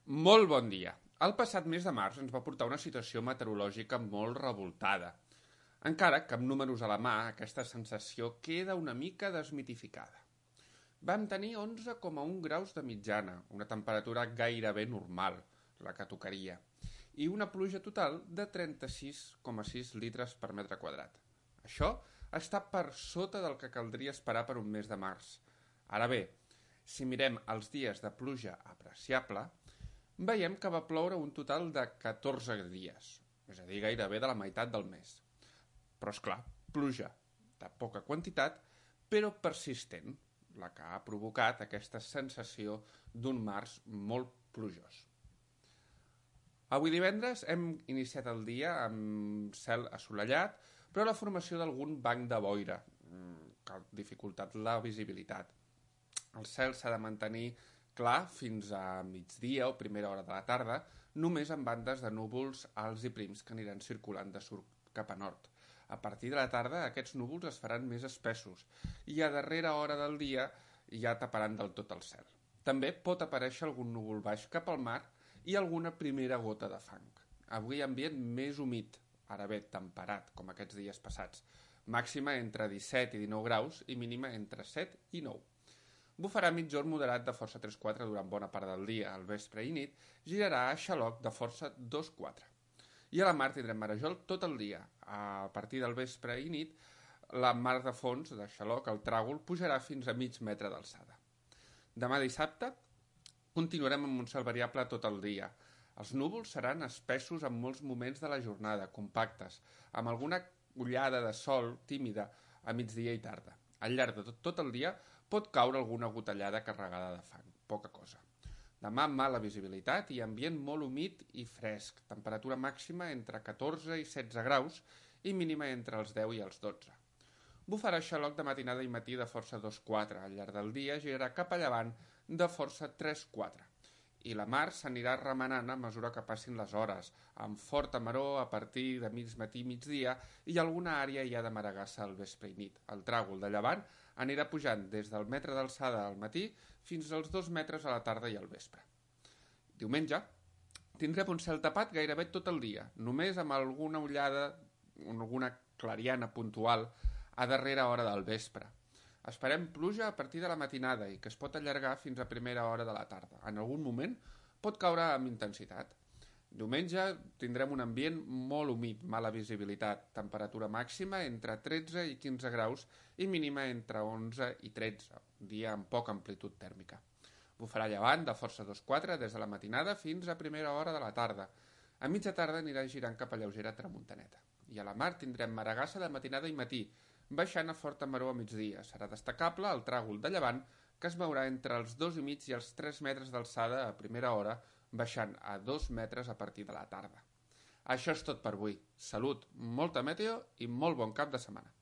Molt bon dia. El passat mes de març ens va portar una situació meteorològica molt revoltada. Encara que amb números a la mà, aquesta sensació queda una mica desmitificada. Vam tenir 11,1 graus de mitjana, una temperatura gairebé normal, la que tocaria, i una pluja total de 36,6 litres per metre quadrat. Això està per sota del que caldria esperar per un mes de març. Ara bé, si mirem els dies de pluja apreciable, veiem que va ploure un total de 14 dies, és a dir, gairebé de la meitat del mes. Però, és clar, pluja de poca quantitat, però persistent, la que ha provocat aquesta sensació d'un març molt plujós. Avui divendres hem iniciat el dia amb cel assolellat, però la formació d'algun banc de boira, que ha dificultat la visibilitat. El cel s'ha de mantenir clar fins a migdia o primera hora de la tarda, només amb bandes de núvols alts i prims que aniran circulant de sud cap a nord. A partir de la tarda aquests núvols es faran més espessos i a darrera hora del dia ja taparan del tot el cel. També pot aparèixer algun núvol baix cap al mar i alguna primera gota de fang. Avui ambient més humit, ara bé temperat, com aquests dies passats. Màxima entre 17 i 19 graus i mínima entre 7 i 9. Bufarà migjorn moderat de força 3-4 durant bona part del dia. Al vespre i nit girarà a xaloc de força 2-4. I a la mar tindrem marejol tot el dia. A partir del vespre i nit, la mar de fons de xaloc, el tràgol, pujarà fins a mig metre d'alçada. Demà dissabte continuarem amb un cel variable tot el dia. Els núvols seran espessos en molts moments de la jornada, compactes, amb alguna ullada de sol tímida a migdia i tarda. Al llarg de tot el dia pot caure alguna gotellada carregada de fang, poca cosa. Demà mala visibilitat i ambient molt humit i fresc, temperatura màxima entre 14 i 16 graus i mínima entre els 10 i els 12. Bufarà xaloc de matinada i matí de força 2-4, al llarg del dia girarà cap a llevant de força 3-4. I la mar s'anirà remenant a mesura que passin les hores, amb forta maror a partir de mig matí i migdia i alguna àrea ja de maregassa al vespre i nit. El tràgol de llevant anirà pujant des del metre d'alçada al matí fins als 2 metres a la tarda i al vespre. Diumenge tindrem un cel tapat gairebé tot el dia, només amb alguna ullada, alguna clariana puntual a darrera hora del vespre. Esperem pluja a partir de la matinada i que es pot allargar fins a primera hora de la tarda. En algun moment pot caure amb intensitat. Diumenge tindrem un ambient molt humit, mala visibilitat, temperatura màxima entre 13 i 15 graus i mínima entre 11 i 13, dia amb poca amplitud tèrmica. Bufarà llevant de força 2-4 des de la matinada fins a primera hora de la tarda. A mitja tarda anirà girant cap a lleugera tramuntaneta. I a la mar tindrem maregassa de matinada i matí, baixant a forta maror a migdia. Serà destacable el tràgol de llevant, que es mourà entre els 2,5 i els 3 metres d'alçada a primera hora, baixant a 2 metres a partir de la tarda. Això és tot per avui. Salut, molta meteo i molt bon cap de setmana.